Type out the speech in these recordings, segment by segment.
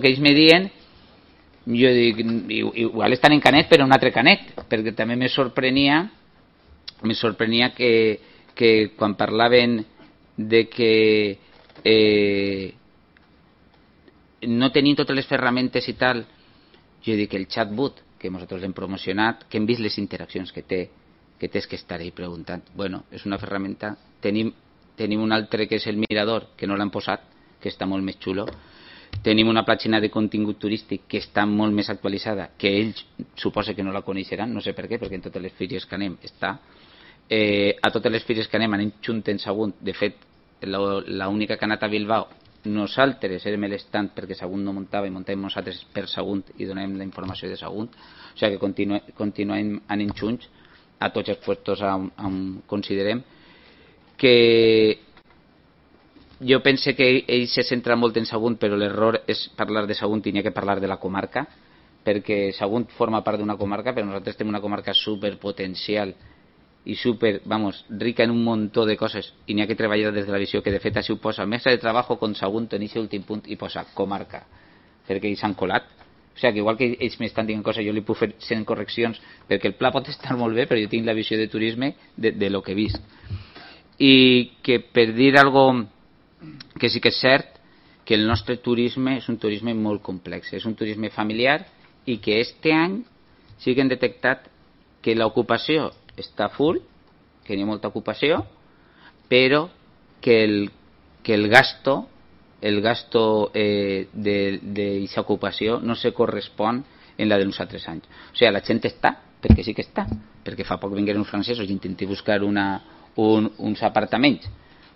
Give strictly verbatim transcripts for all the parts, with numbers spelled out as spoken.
que ells me dien, jo dic, igual estan en Canet però en un altre Canet, perquè també me sorprenia me sorprenia que, que quan parlaven de que eh, no tenien totes les ferramentes i tal, jo dic el chatbot que nosaltres hem promocionat, que hem vist les interaccions que té, que tens que estar ahí preguntant, bueno, és una ferramenta. Tenim, tenim un altre que és el mirador, que no l'han posat, que està molt més xulo. Tenim una pàgina de contingut turístic que està molt més actualitzada, que ells suposa que no la coneixeran, no sé per què, perquè en totes les fires que anem està. Eh, a totes les fires que anem anem junten Sagunt. De fet, l'única que ha anat a Bilbao, nosaltres érem l'estant perquè Sagunt no muntava i muntàvem nosaltres per Sagunt i donem la informació de Sagunt. O sigui que continu, continuem anant junts a tots els puestos on, on considerem que jo pense que ell se centra molt en Sagunt, però l'error és parlar de Sagunt i n'hi ha que parlar de la comarca, perquè Sagunt forma part d'una comarca, però nosaltres tenim una comarca superpotencial i super, vamos, rica en un muntó de coses i n'hi ha que treballar des de la visió que de fet així ho posa, mesa de treball con Sagunt en aquest últim punt i posa comarca, perquè ells s'han colat. O sigui que igual que ells m'estan dient coses jo li puc fer cent correccions perquè el pla pot estar molt bé però jo tinc la visió de turisme de, de lo que he vist. I que per dir algo que sí que és cert que el nostre turisme és un turisme molt complex, és un turisme familiar i que este any sí que hem detectat que l'ocupació està full, que hi ha molta ocupació, però que el, que el gasto el gasto eh, d'aquesta ocupació no se correspon en la de uns altres anys. O sigui, la gent està, perquè sí que està, perquè fa poc vingueren uns francesos i intenté buscar una, un, uns apartaments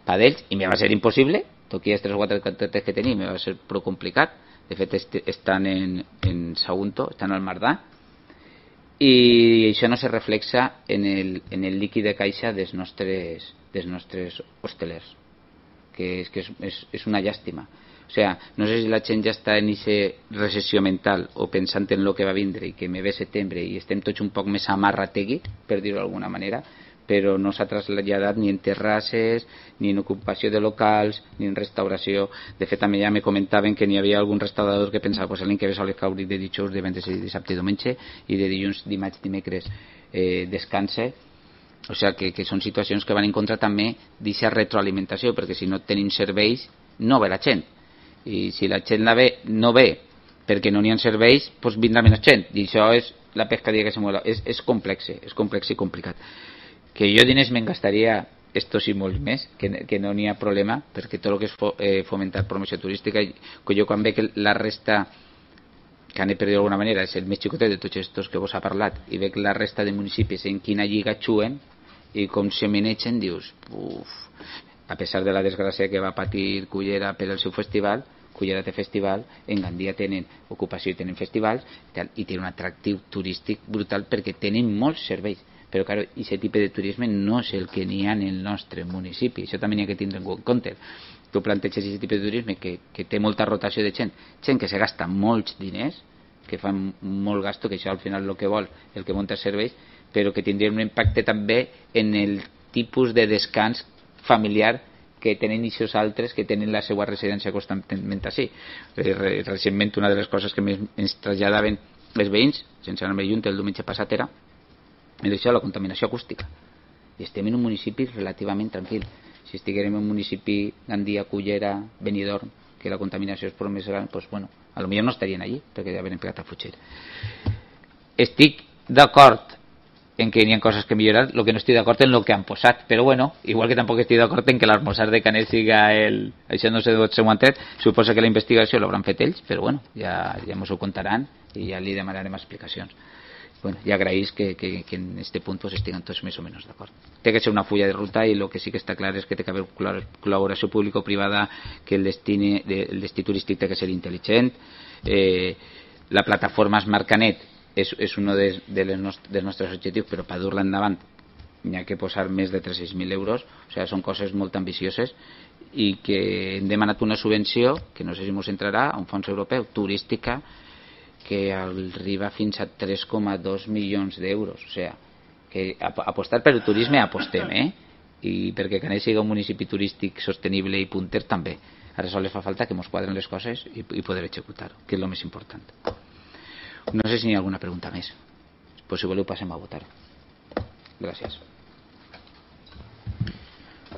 per ells i me va ser impossible, toqui els tres o quatre contractes que tenia, me va ser prou complicat. De fet, est estan en, en Sagunto, estan al Mardà, i això no se reflexa en el, en el líquid de caixa dels nostres, dels nostres hostelers, que és, que és, és, és una llàstima. O sigui, no sé si la gent ja està en aquesta recessió mental o pensant en el que va vindre i que me ve setembre i estem tots un poc més amarrategui, per dir-ho d'alguna manera, però no s'ha traslladat ni en terrasses, ni en ocupació de locals, ni en restauració. De fet, també ja me comentaven que n'hi havia algun restaurador que pensava pues, l'any que ve sols caure de dijous, divendres i dissabte i diumenge, i de dilluns, dimarts, dimecres eh, descanse. O sigui que, que són situacions que van en contra també d'aquesta retroalimentació, perquè si no tenim serveis, no ve la gent. I si la gent la ve, no ve perquè no n'hi ha serveis, doncs vindrà menys gent. I això és la pescadilla que se mueve. És, és complex, és complex i complicat. Que jo diners me'n gastaria estos i molts més, que, que no n'hi ha problema, perquè tot el que és fo, eh, fomentar promoció turística, que jo quan veig que la resta, que han de per dir d'alguna manera, és el més xicotet de tots estos que vos ha parlat, i veig la resta de municipis en quina lliga xuen, i com se menegen, dius, uf, a pesar de la desgràcia que va patir Cullera per al seu festival, Cullera té festival, en Gandia tenen ocupació i tenen festivals, i, tal, i tenen un atractiu turístic brutal perquè tenen molts serveis. Però claro, aquest tipus de turisme no és el que n'hi ha en el nostre municipi, això també n'hi ha que tindre en compte. Tu planteges aquest tipus de turisme que, que té molta rotació de gent, gent que se gasta molts diners, que fan molt gasto, que això al final el que vol, el que munta serveis, però que tindria un impacte també en el tipus de descans familiar que tenen aquests altres que tenen la seva residència constantment així. Recentment una de les coses que ens traslladaven els veïns, sense anar més lluny, el diumenge passat era és això, la contaminació acústica, i estem en un municipi relativament tranquil. Si estiguérem en un municipi Gandia, Cullera, Benidorm, que la contaminació és prou més gran, doncs bueno, a lo millor no estarien allí perquè ja havien pegat a fugir. Estic d'acord en que n'hi ha coses que millorar, el que no estic d'acord en el que han posat, però bueno, igual que tampoc estic d'acord en que l'almorzar de Canet siga el... això no sé d'on s'ho han tret, suposa que la investigació l'hauran fet ells, però bueno, ja, ja mos ho contaran i ja li demanarem explicacions. Bueno, ja agraïs que, que, que en este punt pues, estiguen tots més o menys d'acord. Té que ser una fulla de ruta i el que sí que està clar és que té que haver col·laboració público-privada, que el destí, el destí turístic té que ser intel·ligent. Eh, la plataforma Smart Canet és, és un de, de les nostres, dels nostres objectius, però per dur-la endavant n'hi ha que posar més de tres-cents mil euros, o sigui, són coses molt ambicioses i que hem demanat una subvenció, que no sé si ens entrarà, a un fons europeu, turística, que arriba fins a tres coma dos milions d'euros. O sigui, que apostar per el turisme apostem, eh? I perquè Canet sigui un municipi turístic sostenible i punter també. ara sols fa falta que mos quadren les coses i, i poder executar, que és el més important. No sé si hi ha alguna pregunta més, pues si voleu passem a votar. Gràcies.